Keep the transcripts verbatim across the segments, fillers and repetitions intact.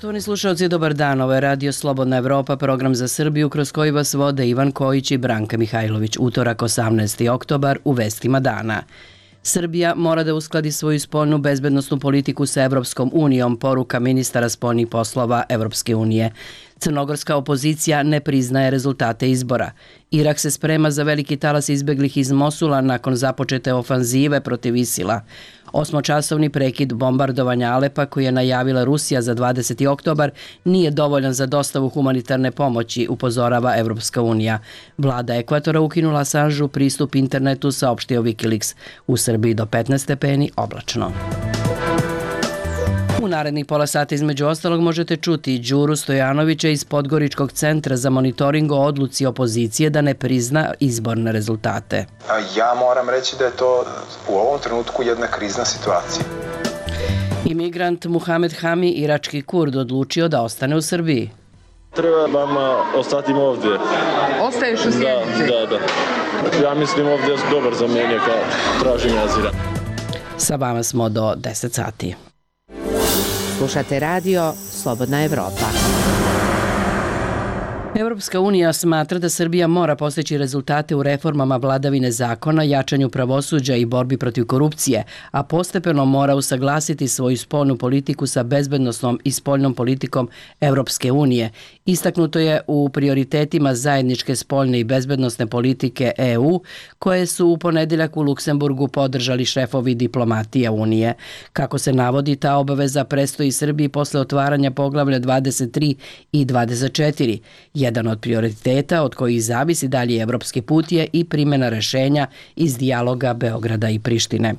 Poštovani slušalci, dobar dan. Ovo je Radio Slobodna Evropa, program za Srbiju kroz koji vas vode Ivan Kojić i Branka Mihajlović. Utorak, osamnaesti oktobar, u vestima dana. Srbija mora da uskladi svoju spoljnu bezbednosnu politiku sa Evropskom unijom, poruka ministara spoljnih poslova Evropske unije. Crnogorska opozicija ne priznaje rezultate izbora. Irak se sprema za veliki talas izbeglih iz Mosula nakon započete ofanzive protiv Isila. Osmočasovni prekid bombardovanja Alepa koji je najavila Rusija za dvadeseti oktobar nije dovoljan za dostavu humanitarne pomoći, upozorava Evropska unija. Vlada Ekvatora ukinula Assanžu pristup internetu, saopštio Wikileaks. U Srbiji do petnaest stepeni, oblačno. U narednih pola sata između ostalog možete čuti Đuru Stojanovića iz Podgoričkog centra za monitoring o odluci opozicije da ne prizna izborne rezultate. Ja moram reći da je to u ovom trenutku jedna krizna situacija. Imigrant Muhamed Hami, irački Kurd, odlučio da ostane u Srbiji. Treba vam ostati ovdje. Ostaješ u Sjenici? Da, da, da. Ja mislim ovdje je dobar za mene kao traženje azila. Sa vama smo do deset sati. Slušate radio Slobodna Evropa. Evropska unija smatra da Srbija mora postići rezultate u reformama vladavine zakona, jačanju pravosuđa i borbi protiv korupcije, a postepeno mora usaglasiti svoju spoljnu politiku sa bezbednosnom i spoljnom politikom Evropske unije. Istaknuto je u prioritetima zajedničke spoljne i bezbednosne politike E U, koje su u ponedeljak u Luksemburgu podržali šefovi diplomatije Unije. Kako se navodi, ta obaveza predstoji Srbiji posle otvaranja poglavlja dvadeset tri i dvadeset četiri. Jedan od prioriteta od kojih zavisi dalji evropski put je i primjena rešenja iz dijaloga Beograda i Prištine.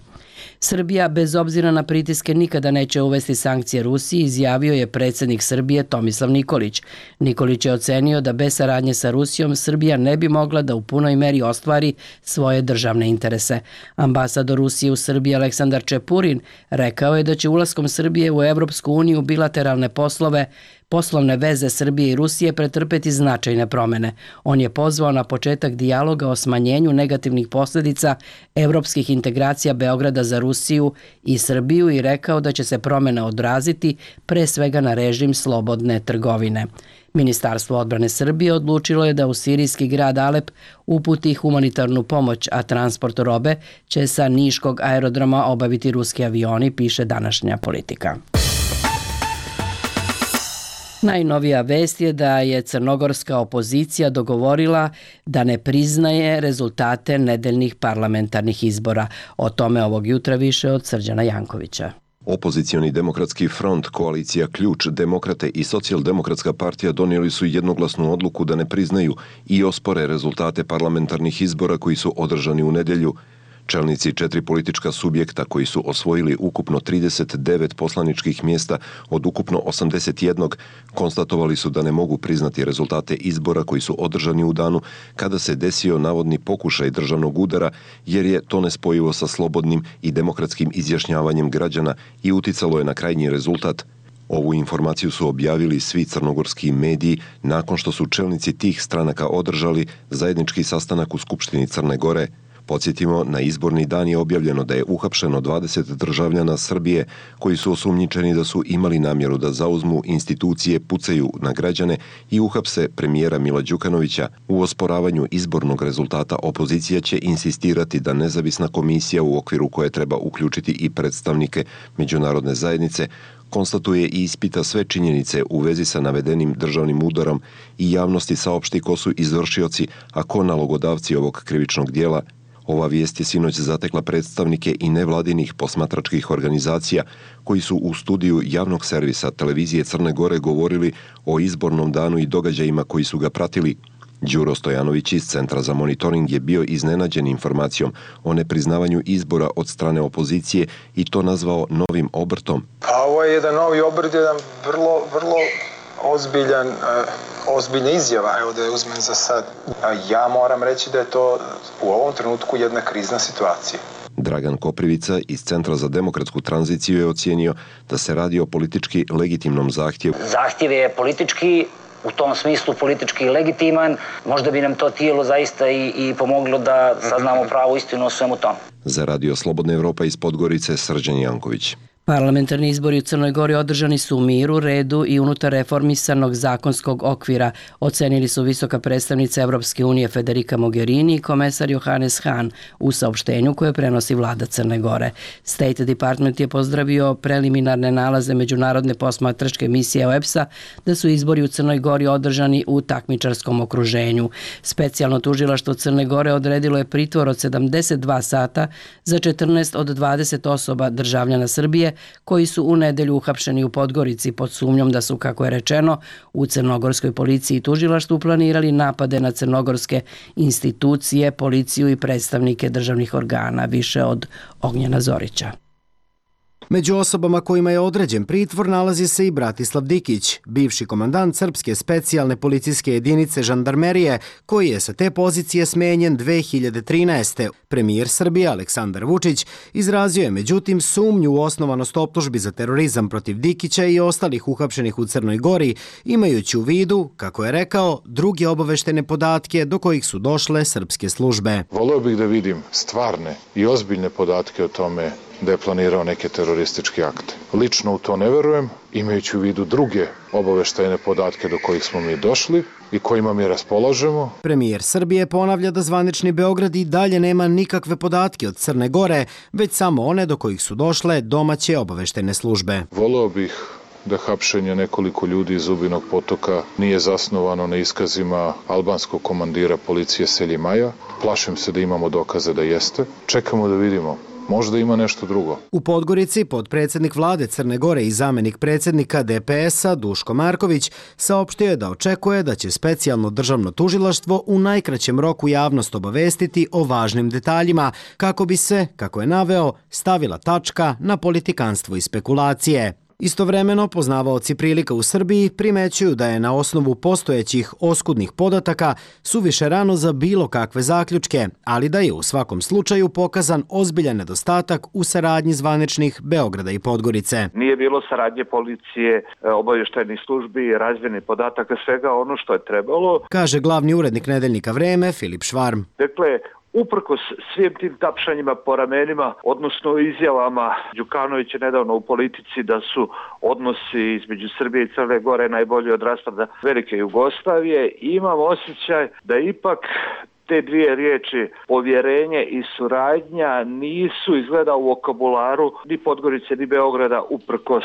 Srbija, bez obzira na pritiske, nikada neće uvesti sankcije Rusiji, izjavio je predsjednik Srbije Tomislav Nikolić. Nikolić je ocenio da bez saradnje sa Rusijom Srbija ne bi mogla da u punoj meri ostvari svoje državne interese. Ambasador Rusije u Srbiji Aleksandar Čepurin rekao je da će ulaskom Srbije u Evropsku uniju bilateralne poslove Poslovne veze Srbije i Rusije pretrpeti značajne promene. On je pozvao na početak dijaloga o smanjenju negativnih posljedica evropskih integracija Beograda za Rusiju i Srbiju i rekao da će se promjene odraziti pre svega na režim slobodne trgovine. Ministarstvo odbrane Srbije odlučilo je da u sirijski grad Alep uputi humanitarnu pomoć, a transport robe će sa Niškog aerodroma obaviti ruski avioni, piše današnja Politika. Najnovija vest je da je crnogorska opozicija dogovorila da ne priznaje rezultate nedeljnih parlamentarnih izbora. O tome ovog jutra više od Srđana Jankovića. Opozicioni demokratski front, koalicija Ključ, Demokrate i Socijaldemokratska partija donijeli su jednoglasnu odluku da ne priznaju i ospore rezultate parlamentarnih izbora koji su održani u nedjelju. Čelnici četiri politička subjekta koji su osvojili ukupno trideset devet poslaničkih mjesta od ukupno osamdeset jedan konstatovali su da ne mogu priznati rezultate izbora koji su održani u danu kada se desio navodni pokušaj državnog udara, jer je to nespojivo sa slobodnim i demokratskim izjašnjavanjem građana i uticalo je na krajnji rezultat. Ovu informaciju su objavili svi crnogorski mediji nakon što su čelnici tih stranaka održali zajednički sastanak u Skupštini Crne Gore. Podsjetimo, na izborni dan je objavljeno da je uhapšeno dvadeset državljana Srbije koji su osumnjičeni da su imali namjeru da zauzmu institucije, pucaju na građane i uhapse premijera Mila Đukanovića. U osporavanju izbornog rezultata opozicija će insistirati da nezavisna komisija u okviru koje treba uključiti i predstavnike međunarodne zajednice konstatuje i ispita sve činjenice u vezi sa navedenim državnim udarom i javnosti saopšti ko su izvršioci, a ko nalogodavci ovog krivičnog dijela. Ova vijest je sinoć zatekla predstavnike i nevladinih posmatračkih organizacija koji su u studiju javnog servisa televizije Crne Gore govorili o izbornom danu i događajima koji su ga pratili. Đuro Stojanović iz Centra za monitoring je bio iznenađen informacijom o nepriznavanju izbora od strane opozicije i to nazvao novim obrtom. A ovo je jedan novi obrt, jedan vrlo, vrlo ozbiljan, ozbiljna izjava, evo da je uzmem za sad. Ja moram reći da je to u ovom trenutku jedna krizna situacija. Dragan Koprivica iz Centra za demokratsku tranziciju je ocijenio da se radi o politički legitimnom zahtjevu. Zahtjev je politički, u tom smislu politički legitiman, možda bi nam to tijelo zaista i, i pomoglo da saznamo pravu istinu o svemu tom. Za Radio Slobodna Evropa iz Podgorice, Srđan Janković. Parlamentarni izbori u Crnoj Gori održani su u miru, redu i unutar reformisanog zakonskog okvira, ocenili su visoka predstavnica Evropske unije Federica Mogherini i komesar Johannes Hahn u saopštenju koje prenosi vlada Crne Gore. State Department je pozdravio preliminarne nalaze međunarodne posmatračke misije O E B S-a da su izbori u Crnoj Gori održani u takmičarskom okruženju. Specijalno tužilaštvo Crne Gore odredilo je pritvor od sedamdeset dva sata za četrnaest od dvadeset osoba državljana Srbije koji su u nedelju uhapšeni u Podgorici pod sumnjom da su, kako je rečeno, u crnogorskoj policiji i tužilaštvu planirali napade na crnogorske institucije, policiju i predstavnike državnih organa, više od Ognjena Zorića. Među osobama kojima je određen pritvor nalazi se i Bratislav Dikić, bivši komandant Srpske specijalne policijske jedinice žandarmerije, koji je sa te pozicije smenjen dve hiljade trinaeste. Premijer Srbije Aleksandar Vučić izrazio je međutim sumnju u osnovanost optužbi za terorizam protiv Dikića i ostalih uhapšenih u Crnoj Gori, imajući u vidu, kako je rekao, druge obaveštene podatke do kojih su došle srpske službe. Voleo bih da vidim stvarne i ozbiljne podatke o tome da je planirao neke terorističke akte. Lično u to ne verujem, imajući u vidu druge obaveštajne podatke do kojih smo mi došli i kojima mi raspolažemo. Premijer Srbije ponavlja da zvanični Beograd i dalje nema nikakve podatke od Crne Gore, već samo one do kojih su došle domaće obaveštajne službe. Voleo bih da hapšenje nekoliko ljudi iz Zubinog Potoka nije zasnovano na iskazima albanskog komandira policije Seljimaja. Plašim se da imamo dokaze da jeste. Čekamo da vidimo. Možda ima nešto drugo. U Podgorici potpredsjednik vlade Crne Gore i zamenik predsjednika D P S-a Duško Marković saopštio je da očekuje da će specijalno državno tužilaštvo u najkraćem roku javnost obavestiti o važnim detaljima kako bi se, kako je naveo, stavila tačka na politikanstvo i spekulacije. Istovremeno, poznavaoci prilika u Srbiji primećuju da je na osnovu postojećih oskudnih podataka suviše rano za bilo kakve zaključke, ali da je u svakom slučaju pokazan ozbiljan nedostatak u saradnji zvaničnih Beograda i Podgorice. Nije bilo saradnje policije, obavještajnih službi, razmjene podataka, svega ono što je trebalo, kaže glavni urednik nedeljnika Vreme Filip Švarm. Dakle, uprkos svim tim tapšanjima po ramenima, odnosno izjavama Đukanovića nedavno u Politici da su odnosi između Srbije i Crne Gore najbolji od raspada velike Jugoslavije, imam osjećaj da ipak te dvije riječi, povjerenje i suradnja, nisu izgleda u vokabularu ni Podgorice ni Beograda uprkos,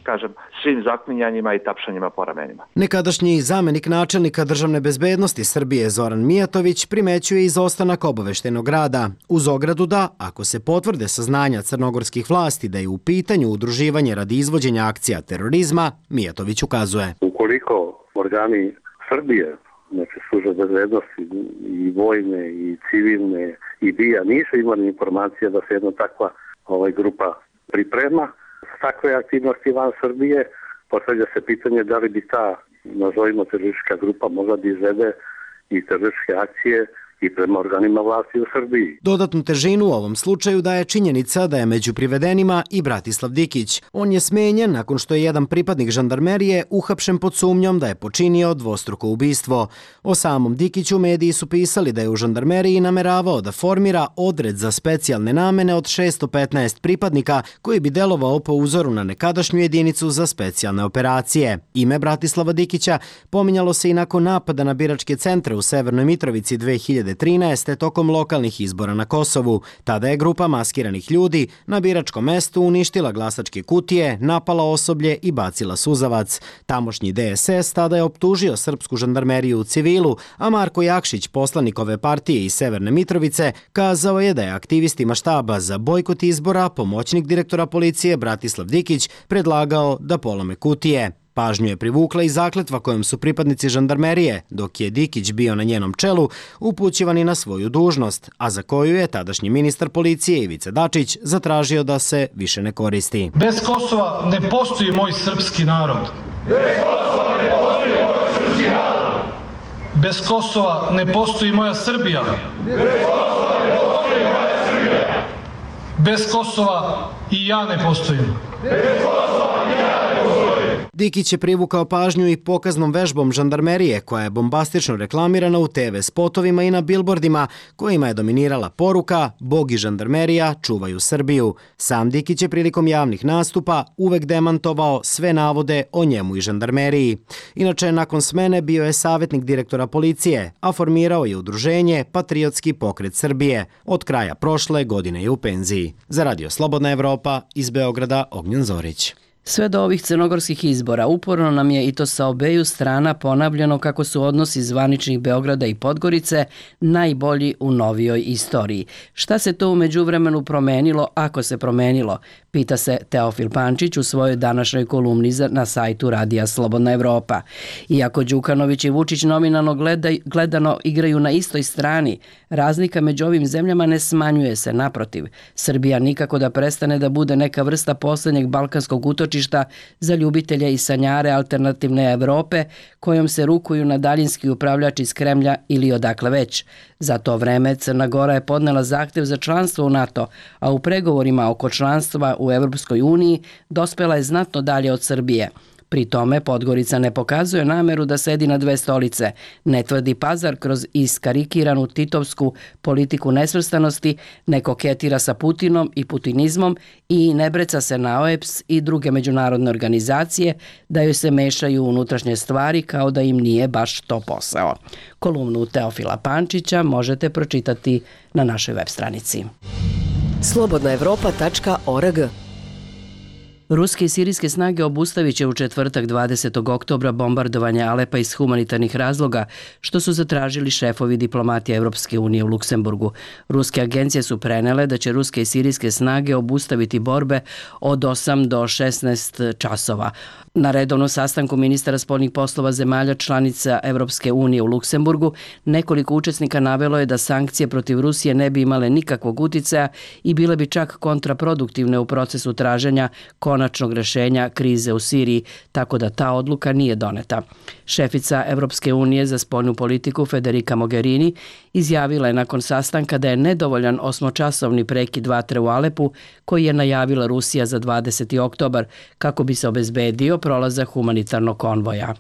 kažem, svim zaklinjanjima i tapšanjima po ramenima. Nekadašnji zamenik načelnika državne bezbednosti Srbije Zoran Mijatović primećuje izostanak obaveštenog rada, uz ogradu da, ako se potvrde saznanja crnogorskih vlasti da je u pitanju udruživanje radi izvođenja akcija terorizma, Mijatović ukazuje. Ukoliko organi Srbije, znači službe bezbednosti i vojne i civilne i B I A nisu imali informacije da se jedna takva ovaj, grupa priprema. S takve aktivnosti van Srbije postavlja se pitanje da li bi ta, nazovimo, teroristička grupa mogla da izvede i terorističke akcije i prema organima vlasti u Srbiji. Dodatnu težinu u ovom slučaju daje činjenica da je među privedenima i Bratislav Dikić. On je smenjen nakon što je jedan pripadnik žandarmerije uhapšen pod sumnjom da je počinio dvostruko ubistvo. O samom Dikiću mediji su pisali da je u žandarmeriji nameravao da formira odred za specijalne namene od šesto petnaest pripadnika koji bi delovao po uzoru na nekadašnju jedinicu za specijalne operacije. Ime Bratislava Dikića pominjalo se i nakon napada na biračke centre u Severnoj Mitrovici dve hiljade trinaeste. tokom lokalnih izbora na Kosovu. Tada je grupa maskiranih ljudi na biračkom mestu uništila glasačke kutije, napala osoblje i bacila suzavac. Tamošnji D S S tada je optužio srpsku žandarmeriju u civilu, a Marko Jakšić, poslanik ove partije iz Severne Mitrovice, kazao je da je aktivistima štaba za bojkot izbora pomoćnik direktora policije Bratislav Dikić predlagao da polome kutije. Pažnju je privukla i zakletva kojom su pripadnici žandarmerije, dok je Dikić bio na njenom čelu, upućivani na svoju dužnost, a za koju je tadašnji ministar policije Ivica Dačić zatražio da se više ne koristi. Bez Kosova ne postoji moj srpski narod. Bez Kosova ne postoji moj srpski narod. Bez Kosova ne postoji moja Srbija. Bez Kosova ne postoji moja Srbija. Bez Kosova i ja ne postojim. Bez Kosova i ja ne postojim. Dikić je privukao pažnju i pokaznom vežbom žandarmerije koja je bombastično reklamirana u te ve spotovima i na bilbordima kojima je dominirala poruka Bog i žandarmerija čuvaju Srbiju. Sam Dikić je prilikom javnih nastupa uvek demantovao sve navode o njemu i žandarmeriji. Inače, nakon smene bio je savjetnik direktora policije, a formirao je udruženje Patriotski pokret Srbije. Od kraja prošle godine je u penziji. Za Radio Slobodna Evropa, iz Beograda, Ognjen Zorić. Sve do ovih crnogorskih izbora uporno nam je i to sa obeju strana ponavljano kako su odnosi zvaničnih Beograda i Podgorice najbolji u novijoj istoriji. Šta se to u međuvremenu promenilo, ako se promenilo? Pita se Teofil Pančić u svojoj današnjoj kolumni na sajtu Radija Slobodna Evropa. Iako Đukanović i Vučić nominalno gleda, gledano igraju na istoj strani, razlika među ovim zemljama ne smanjuje se, naprotiv. Srbija nikako da prestane da bude neka vrsta poslednjeg balkanskog utočišta za ljubitelje i sanjare alternativne Evrope kojom se rukuju na daljinski upravljač iz Kremlja ili odakle već. Za to vreme Crna Gora je podnela zahtev za članstvo u NATO, a u pregovorima oko članstva u Evropskoj uniji dospela je znatno dalje od Srbije. Pri tome Podgorica ne pokazuje nameru da sedi na dve stolice, ne tvrdi pazar kroz iskarikiranu titovsku politiku nesvrstanosti, ne koketira sa Putinom i putinizmom i ne breca se na o e p s i druge međunarodne organizacije da joj se mešaju unutrašnje stvari kao da im nije baš to posao. Kolumnu Teofila Pančića možete pročitati na našoj web stranici. slobodna evropa tačka org. Ruske i sirijske snage obustavit će u četvrtak dvadesetog oktobra bombardovanje Alepa iz humanitarnih razloga, što su zatražili šefovi diplomatije Evropske unije u Luksemburgu. Ruske agencije su prenele da će ruske i sirijske snage obustaviti borbe od osam do šesnaest časova. Na redovnom sastanku ministara spoljnih poslova zemalja članica Evropske unije u Luksemburgu nekoliko učesnika navelo je da sankcije protiv Rusije ne bi imale nikakvog uticaja i bile bi čak kontraproduktivne u procesu traženja konačnog rešenja krize u Siriji, tako da ta odluka nije doneta. Šefica Evropske unije za spoljnu politiku Federica Mogherini izjavila je nakon sastanka da je nedovoljan osmočasovni prekid vatre u Alepu koji je najavila Rusija za dvadeseti oktobar kako bi se obezbedio prolazak humanitarnog konvoja.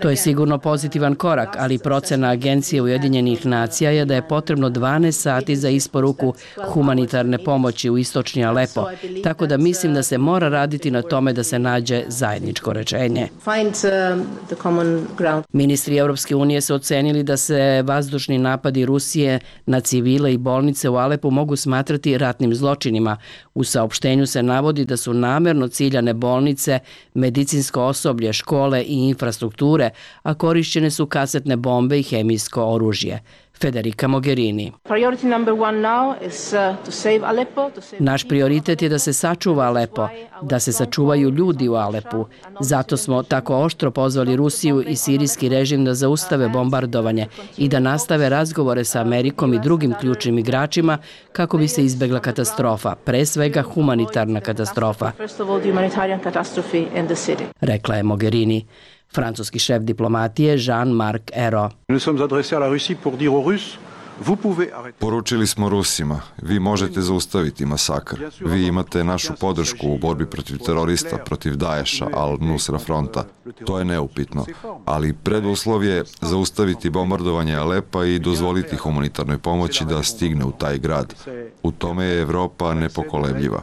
To je sigurno pozitivan korak, ali procena Agencije Ujedinjenih nacija je da je potrebno dvanaest sati za isporuku humanitarne pomoći u istočni Alepo, tako da mislim da se mora raditi na tome da se nađe zajedničko rešenje. Ministri Evropske unije su ocenili da se vazdušni napadi Rusije na civile i bolnice u Alepu mogu smatrati ratnim zločinima. U saopštenju se navodi da su namerno ciljane bolnice, medicinsko osoblje, škole i infrastrukture, a korišćene su kasetne bombe i hemijsko oružje. Federica Mogherini. Naš prioritet je da se sačuva Alepo, da se sačuvaju ljudi u Alepu. Zato smo tako oštro pozvali Rusiju i sirijski režim da zaustave bombardovanje i da nastave razgovore sa Amerikom i drugim ključnim igračima kako bi se izbegla katastrofa, pre svega humanitarna katastrofa, rekla je Mogherini. Francuski šef diplomatije Jean-Marc Ayrault. Poručili smo Rusima, vi možete zaustaviti masakr. Vi imate našu podršku u borbi protiv terorista, protiv Daesha, Al-Nusra fronta. To je neupitno. Ali preduslov je zaustaviti bombardovanje Alepa i dozvoliti humanitarnoj pomoći da stigne u taj grad. U tome je Evropa nepokolebljiva.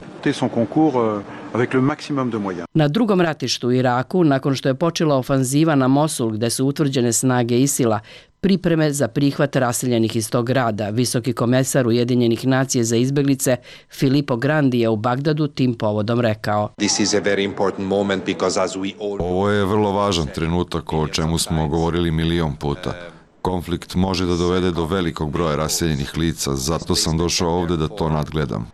Na drugom ratištu u Iraku, nakon što je počela ofanziva na Mosul gde su utvrđene snage Isila, pripreme za prihvat raseljenih iz tog grada, visoki komesar Ujedinjenih nacija za izbeglice Filippo Grandi je u Bagdadu tim povodom rekao: Ovo je vrlo važan trenutak o čemu smo govorili milion puta. Konflikt može da dovede do velikog broja raseljenih lica, zato sam došao ovde da to nadgledam.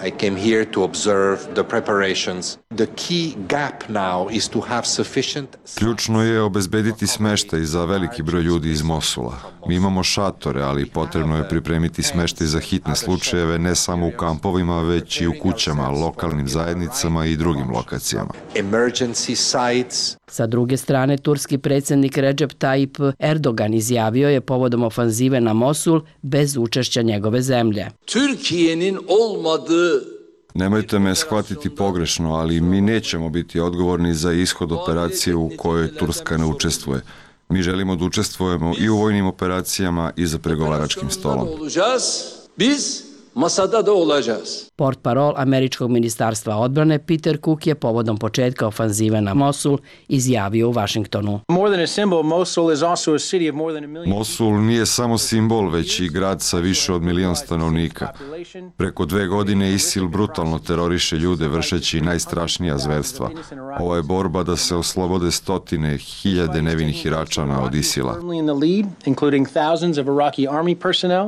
I came here to observe the preparations. The key gap now is to have sufficient... Ključno je obezbediti smeštaj za veliki broj ljudi iz Mosula. Mi imamo šatore, ali potrebno je pripremiti smeštaj za hitne slučajeve ne samo u kampovima, već i u kućama, lokalnim zajednicama i drugim lokacijama. Emergency sites. Sa druge strane, turski predsjednik Recep Tayyip Erdogan izjavio je povodom ofanzive na Mosul bez učešća njegove zemlje. Türkiye'nin olmadığı Nemojte me shvatiti pogrešno, ali mi nećemo biti odgovorni za ishod operacije u kojoj Turska ne učestvuje. Mi želimo da učestvujemo i u vojnim operacijama i za pregovaračkim stolom. Biz masada da olacağız. Portparol američkog ministarstva odbrane Peter Cook je povodom početka ofanzive na Mosul izjavio u Vašingtonu. Mosul nije samo simbol, već i grad sa više od milion stanovnika. Preko dve godine ISIL brutalno teroriše ljude vršeći najstrašnija zverstva. Ovo je borba da se oslobode stotine, hiljade nevinih Iračana od ISIL-a.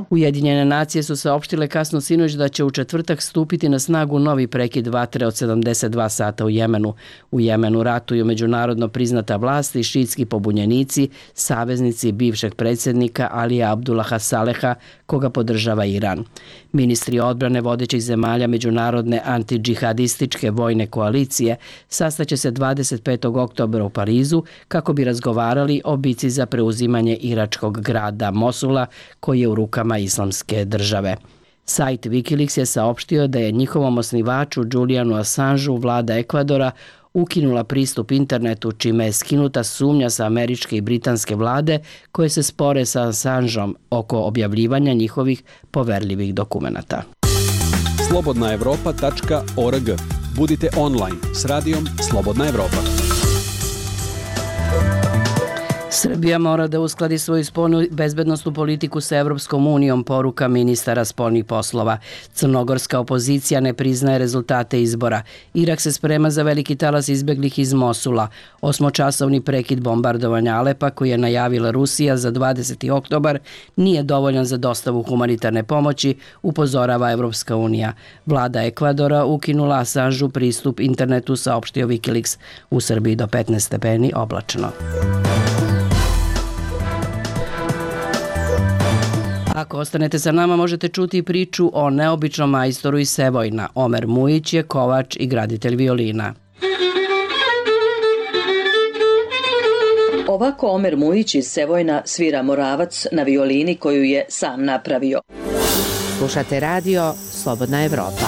Ujedinjene nacije su saopštile kasno sinoć da će u četvrtak stupiti na snagu novi prekid vatre od sedamdeset dva sata u Jemenu. U Jemenu ratuju međunarodno priznata vlast i šiitski pobunjenici, saveznici bivšeg predsjednika Alija Abdullaha Saleha, koga podržava Iran. Ministri odbrane vodećih zemalja međunarodne antidžihadističke vojne koalicije sastaće se dvadeset petog oktobra u Parizu kako bi razgovarali o bici za preuzimanje iračkog grada Mosula koji je u rukama islamske države. Sajt Wikileaks je saopštio da je njihovom osnivaču Julianu Assangeu vlada Ekvadora ukinula pristup internetu, čime je skinuta sumnja sa američke i britanske vlade koje se spore sa Assangeom oko objavljivanja njihovih poverljivih dokumenata. slobodna evropa tačka org. Budite online s radijom Slobodna Evropa. Srbija mora da uskladi svoju spoljnu bezbednosnu politiku sa Evropskom unijom, poruka ministara spoljnih poslova. Crnogorska opozicija ne priznaje rezultate izbora. Irak se sprema za veliki talas izbeglih iz Mosula. Osmočasovni prekid bombardovanja Alepa koji je najavila Rusija za dvadeseti oktobar nije dovoljan za dostavu humanitarne pomoći, upozorava Evropska unija. Vlada Ekvadora ukinula Assangeu pristup internetu, saopštio Wikileaks. U Srbiji do petnaest stepeni oblačno. Ako ostanete sa nama, možete čuti priču o neobičnom majstoru iz Sevojna. Omer Mujić je kovač i graditelj violina. Ovako Omer Mujić iz Sevojna svira Moravac na violini koju je sam napravio. Slušate radio Slobodna Evropa.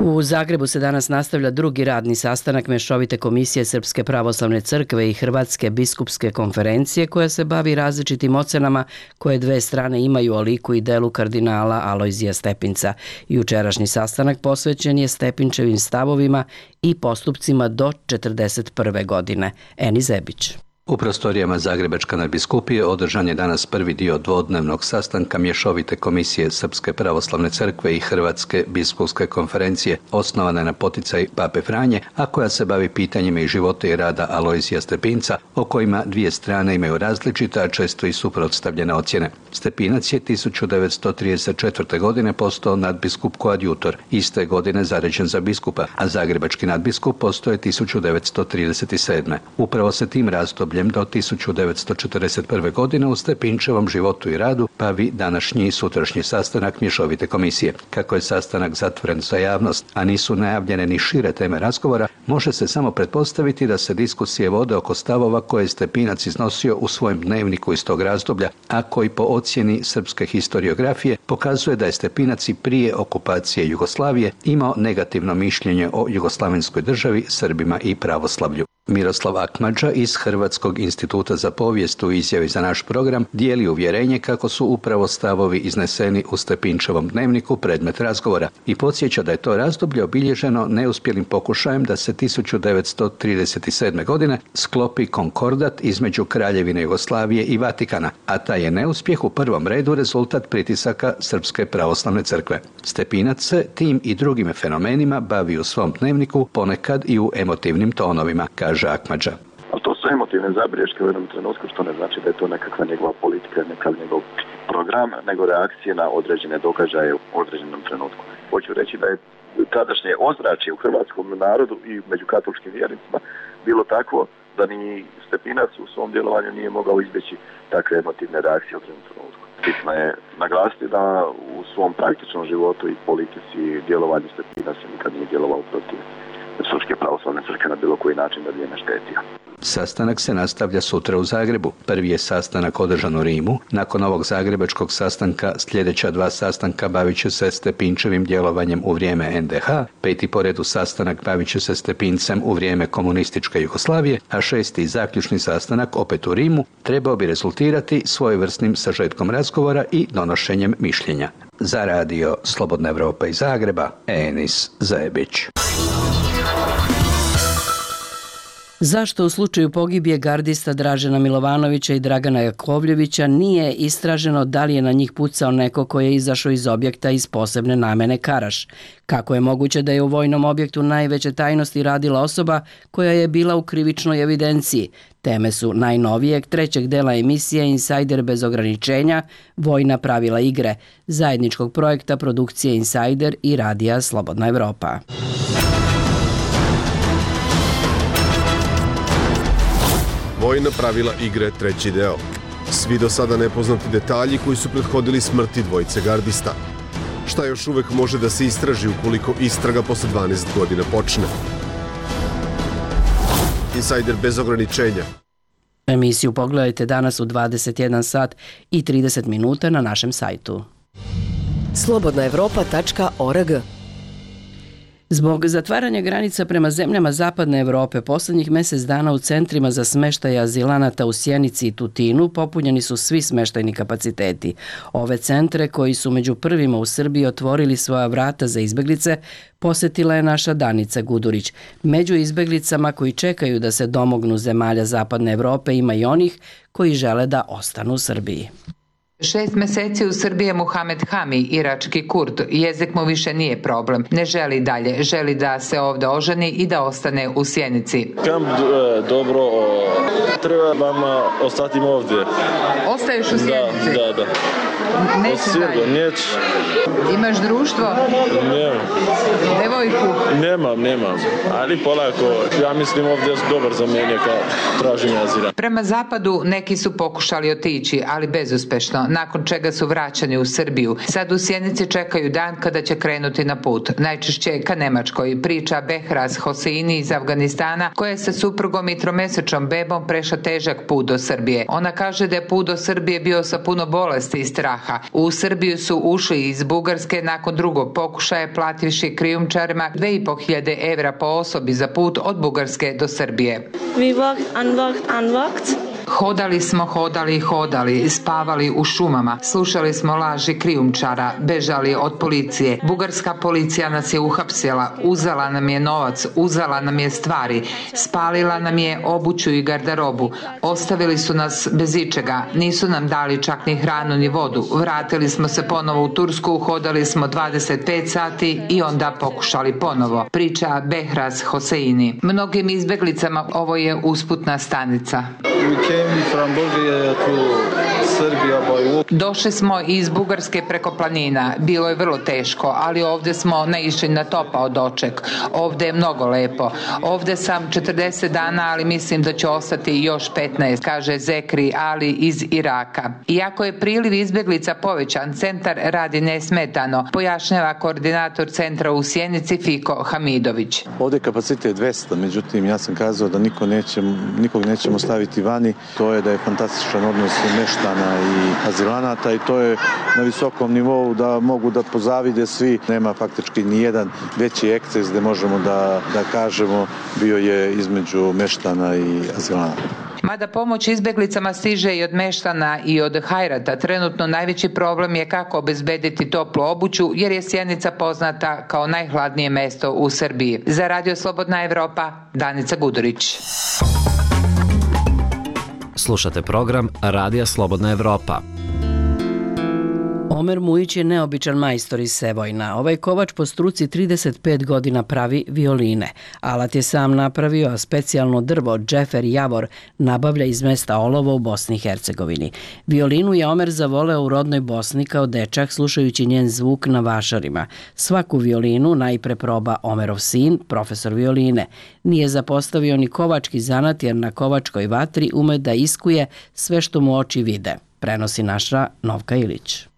U Zagrebu se danas nastavlja drugi radni sastanak Mešovite komisije Srpske pravoslavne crkve i Hrvatske biskupske konferencije koja se bavi različitim ocenama koje dve strane imaju o liku i delu kardinala Alojzija Stepinca. Jučerašnji sastanak posvećen je Stepinčevim stavovima i postupcima do četrdeset prve godine. Eni Zebić. U prostorijama Zagrebačke nadbiskupije održan je danas prvi dio dvodnevnog sastanka Mješovite komisije Srpske pravoslavne crkve i Hrvatske biskupske konferencije, osnovane na poticaj Pape Franje, a koja se bavi pitanjima i života i rada Alojzija Stepinca, o kojima dvije strane imaju različita, a često i suprotstavljene ocjene. Stepinac je tisuću devetsto trideset četvrte. godine postao nadbiskup koadjutor, iste godine zaređen za biskupa, a zagrebački nadbiskup postao je tisuću devetsto trideset sedme. Upravo se tim razdobljem do tisuću devetsto četrdeset prve. godine u Stepinčevom životu i radu bavi današnji i sutrašnji sastanak Mješovite komisije. Kako je sastanak zatvoren za javnost, a nisu najavljene ni šire teme razgovora, može se samo pretpostaviti da se diskusije vode oko stavova koje je Stepinac iznosio u svojem dnevniku iz tog razdoblja, a koji po ocjeni srpske historiografije pokazuje da je Stepinac i prije okupacije Jugoslavije imao negativno mišljenje o jugoslavenskoj državi, Srbima i pravoslavlju. Miroslav Akmadža iz Hrvatskog instituta za povijest u izjavi za naš program dijeli uvjerenje kako su upravo stavovi izneseni u Stepinčevom dnevniku predmet razgovora i podsjeća da je to razdoblje obilježeno neuspjelim pokušajem da se tisuću devetsto trideset sedme. godine sklopi konkordat između Kraljevine Jugoslavije i Vatikana, a taj je neuspjeh u prvom redu rezultat pritisaka Srpske pravoslavne crkve. Stepinac se tim i drugim fenomenima bavi u svom dnevniku, ponekad i u emotivnim tonovima, kaže Akmadža. Ali to su emotivne zabriješke u jednom trenutku, što ne znači da je to nekakva njegova politika, nekakav njegov program, nego reakcije na određene događaje u određenom trenutku. Hoću reći da je tadašnje ozračje u hrvatskom narodu i među katoličkim vjernicima bilo takvo da ni Stepinac u svom djelovanju nije mogao izbjeći takve emotivne reakcije u određenom trenutku. Bitno je naglasiti da u svom praktičnom životu i politici i djelovanju Stepinac nikad nije djelovao protiv Srpske pravoslavne crkve na bilo koji način da bi je naštetio. Sastanak se nastavlja sutra u Zagrebu. Prvi je sastanak održan u Rimu. Nakon ovog zagrebačkog sastanka sljedeća dva sastanka bavit će se Stepinčevim djelovanjem u vrijeme en de ha, peti po redu sastanak bavit će se Stepincem u vrijeme komunističke Jugoslavije, a šesti zaključni sastanak opet u Rimu trebao bi rezultirati svojevrsnim sažetkom razgovora i donošenjem mišljenja. Za radio Slobodna Evropa iz Zagreba, Enis Zajebić. Zašto u slučaju pogibije gardista Dražena Milovanovića i Dragana Jakovljevića nije istraženo da li je na njih pucao neko ko je izašao iz objekta iz posebne namene Karaš? Kako je moguće da je u vojnom objektu najveće tajnosti radila osoba koja je bila u krivičnoj evidenciji? Teme su najnovijeg trećeg dela emisije Insajder bez ograničenja, vojna pravila igre, zajedničkog projekta produkcije Insajder i radija Slobodna Evropa. Vojna pravila igre, treći deo. Svi do sada nepoznati detalji koji su prethodili smrti dvojice gardista. Šta još uvek može da se istraži ukoliko istraga posle dvanaest godina počne? Insajder bez ograničenja. Emisiju pogledajte danas u dvadeset jedan sat i trideset minuta na našem sajtu. slobodna evropa tačka org. Zbog zatvaranja granica prema zemljama Zapadne Evrope, poslednjih mesec dana u centrima za smeštaj azilanata u Sjenici i Tutinu popunjeni su svi smeštajni kapaciteti. Ove centre, koji su među prvima u Srbiji otvorili svoja vrata za izbeglice, posetila je naša Danica Gudurić. Među izbeglicama koji čekaju da se domognu zemalja Zapadne Evrope ima i onih koji žele da ostanu u Srbiji. Šest meseci u Srbiji je Muhamed Hami, irački Kurd. Jezik mu više nije problem. Ne želi dalje. Želi da se ovde oženi i da ostane u Sjenici. Kamp dobro, treba vam ostati ovdje. Ostaješ u Sjenici? Da, da, da. Nećeš dalje? Neću. Imaš društvo? Nemam. Devojku? Nemam, nemam. Ali polako, ja mislim ovdje je dobar za mene kad tražim azila. Prema zapadu neki su pokušali otići, ali bezuspešno, nakon čega su vraćani u Srbiju. Sad u Sjenici čekaju dan kada će krenuti na put. Najčešće ka Nemačkoj, priča Behraz Hoseini iz Afganistana, koja je sa suprugom i tromesečnom bebom prešla težak put do Srbije. Ona kaže da je put do Srbije bio sa puno bolesti i straha. U Srbiju su ušli iz Bugarske nakon drugog pokušaja, plativši krijumčarima dve i po hiljade evra po osobi za put od Bugarske do Srbije. We walked and walked and walked. Hodali smo, hodali i hodali, spavali u šumama, slušali smo laži krijumčara, bežali od policije. Bugarska policija nas je uhapsila, uzela nam je novac, uzela nam je stvari, spalila nam je obuću i garderobu, ostavili su nas bez ičega, nisu nam dali čak ni hranu ni vodu. Vratili smo se ponovo u Tursku, hodali smo dvadeset pet sati i onda pokušali ponovo. Priča Behraz Hoseini. Mnogim izbeglicama ovo je usputna stanica. Došli smo iz Bugarske preko planina. Bilo je vrlo teško, ali ovde smo naišli na topao doček. Ovde je mnogo lepo. Ovde sam četrdeset dana, ali mislim da će ostati još petnaest, kaže Zekri Ali iz Iraka. Iako je priliv izbeglica povećan, centar radi nesmetano, pojašnjava koordinator centra u Sjenici Fiko Hamidović. Ovde je kapacitet dvesta, međutim ja sam kazao da niko nećemo, nikog nećemo staviti vani. To je da je fantastičan odnos meštana i azilanata i to je na visokom nivou da mogu da pozavide svi. Nema faktički ni jedan veći eksces gde možemo da, da kažemo bio je između meštana i azilanata. Mada pomoć izbeglicama stiže i od meštana i od hajrata, trenutno najveći problem je kako obezbediti toplu obuću, jer je Sjenica poznata kao najhladnije mesto u Srbiji. Za Radio Slobodna Evropa, Danica Gudurić. Slušate program Radija Slobodna Evropa. Omer Mujić je neobičan majstor iz Sevojna. Ovaj kovač po struci trideset pet godina pravi violine. Alat je sam napravio, a specijalno drvo Džefer Javor nabavlja iz mesta Olovo u Bosni i Hercegovini. Violinu je Omer zavoleo u rodnoj Bosni kao dečak, slušajući njen zvuk na vašarima. Svaku violinu najpre proba Omerov sin, profesor violine. Nije zapostavio ni kovački zanat, jer na kovačkoj vatri ume da iskuje sve što mu oči vide. Prenosi naša Novka Ilić.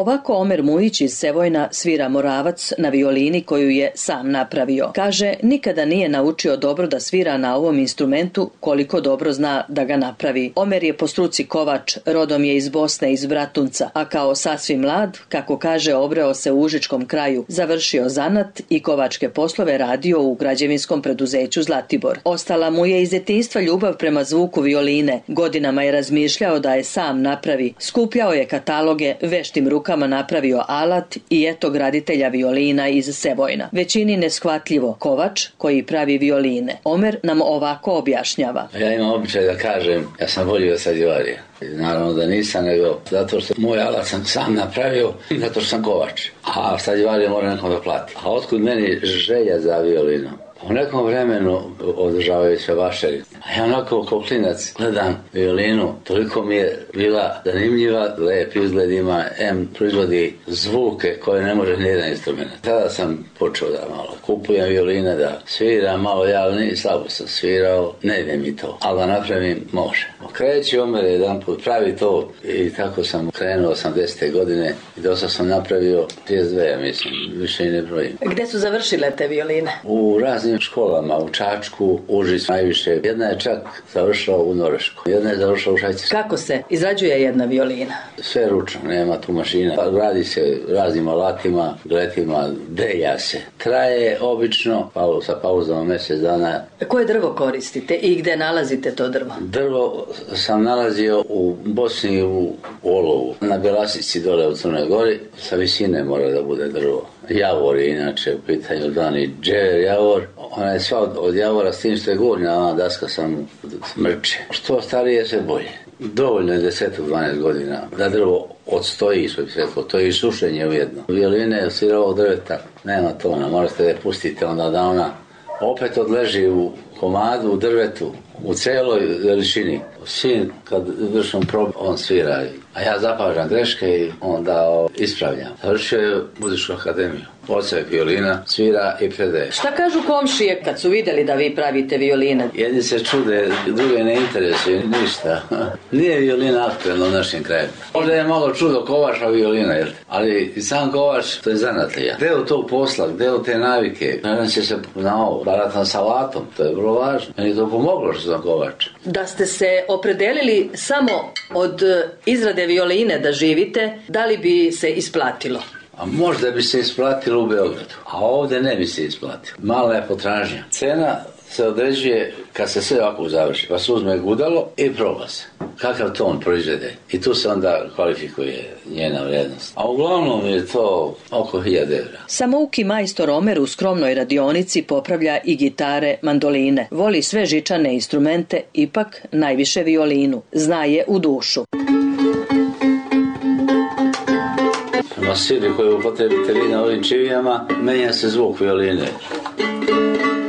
Ovako Omer Mujić iz Sevojna svira Moravac na violini koju je sam napravio. Kaže, nikada nije naučio dobro da svira na ovom instrumentu koliko dobro zna da ga napravi. Omer je po struci kovač, rodom je iz Bosne, iz Bratunca, a kao sasvim mlad, kako kaže, obreo se u užičkom kraju, završio zanat i kovačke poslove radio u građevinskom preduzeću Zlatibor. Ostala mu je iz djetinjstva ljubav prema zvuku violine. Godinama je razmišljao da je sam napravi. Skupljao je kataloge, veštim rukama napravio alat i eto graditelja violina iz Sevojna. Većini neshvatljivo, kovač koji pravi violine. Omer nam ovako objašnjava. Ja imam običaj da kažem, ja sam volio Stradivarija. Naravno da nisam, nego zato što moj alat sam sam napravio, zato što sam kovač. A Stradivarija mora nekom da plati. A otkud meni želja za violinu? U nekom vremenu održavaju se vašeri. A ja onako kao klinac gledam violinu, toliko mi je bila zanimljiva, lep izgled ima, em proizvodi zvuke koje ne može nijedan instrument. Tada sam počeo da malo kupujem violine, da sviram malo, ja ni slabo sam svirao, ne ide mi to, ali da napravim može. Kreći Omer jedan put, pravi to i tako sam krenuo osamdesete godine i dosta sam napravio trideset dve, ja mislim, više i ne brojim. Gde su završile te violine? U raznim školama, u Čačku, Užicu najviše. Jedna je čak završila u Norvešku, jedna je završila u Švajcarsku. Kako se izrađuje jedna violina? Sve ručno, nema tu mašina. Radi se raznim alatima, gletima, delja se. Traje obično, pa sa pauzama mjesec dana. Koje drvo koristite i gde nalazite to drvo? Drvo sam nalazio u Bosni u Olovu, na Bjelasici dole u Crnoj Gori, sa visine mora da bude drvo. Javor je inače u pitanju dani džever javor. Ona je sva od, od javora s tim što je gornja, ona daska sam smrče. Što starije se bolje. Dovoljno je deset do dvanaest godina da drvo odstoji, što bi se rekao, to je i sušenje ujedno. Violine je sirovog drveta, nema tona, možete da je pustite onda da ona opet odleži u komadu, u drvetu, u celoj veličini. Sin, kad vršim probu, on svira, a ja zapažam greške i onda ispravljam. Završio je muzičku akademiju. Oca je violina, svira i predaje. Šta kažu komšije kad su vidjeli da vi pravite violine? Jedni se čude, druge ne interesuje ništa. Nije violina aktuelna u našem kraju. Možda je malo čudo kovača violina, jel? Ali i sam kovač, to je zanatlija. Deo tog posla, deo te navike, nadam će se na ovo, baratam sa alatom, to je vrlo važno. Meni je to pomoglo što sam kovač. Da ste se opredelili samo od izrade violine da živite, da li bi se isplatilo? A možda bi se isplatilo u Beogradu, a ovdje ne bi se isplatilo. Mala je potražnja. Cena se određuje kad se sve ovako završi, pa se uzme gudalo i proba se. Kakav ton proizvede. I tu se onda kvalifikuje njena vrijednost. A uglavnom je to oko hiljadu evra. Samouki majstor Omer u skromnoj radionici popravlja i gitare, mandoline. Voli sve žičane instrumente, ipak najviše violinu. Zna je u dušu. Na sili koju upotrebite vi na ovim čivijama, menja se zvuk violine.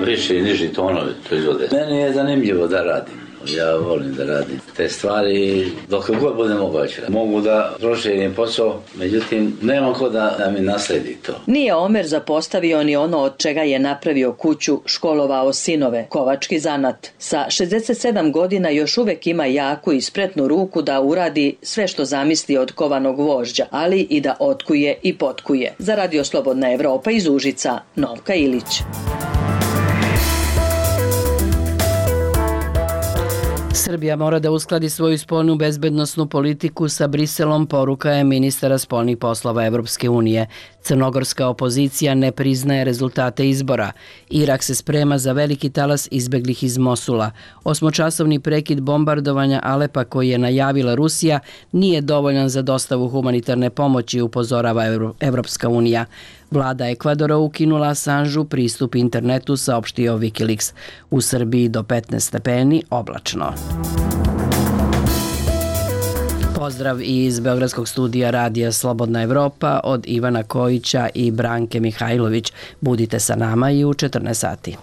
Više i niži tonovi proizvode. Meni je zanimljivo da radim. Ja volim da radim te stvari dok god bude moguće. Mogu da proširim posao, međutim nemam ko da, da mi nasledi to. Nije Omer zapostavio ni ono od čega je napravio kuću, školovao sinove, kovački zanat. Sa šezdeset sedam godina još uvek ima jaku i spretnu ruku da uradi sve što zamisli od kovanog vožđa, ali i da otkuje i potkuje. Za Radio Slobodna Evropa iz Užica, Novka Ilić. Srbija mora da uskladi svoju spoljnu bezbednosnu politiku sa Briselom, poruka je ministara spoljnih poslova Evropske unije. Crnogorska opozicija ne priznaje rezultate izbora. Irak se sprema za veliki talas izbeglih iz Mosula. Osmočasovni prekid bombardovanja Alepa koji je najavila Rusija nije dovoljan za dostavu humanitarne pomoći, upozorava Evropska unija. Vlada Ekvadora ukinula Assanžu pristup internetu, saopštio Wikileaks. U Srbiji do petnaest stepeni, oblačno. Pozdrav iz Beogradskog studija Radija Slobodna Evropa od Ivana Kojića i Branke Mihajlović. Budite sa nama i u četrnaest sati.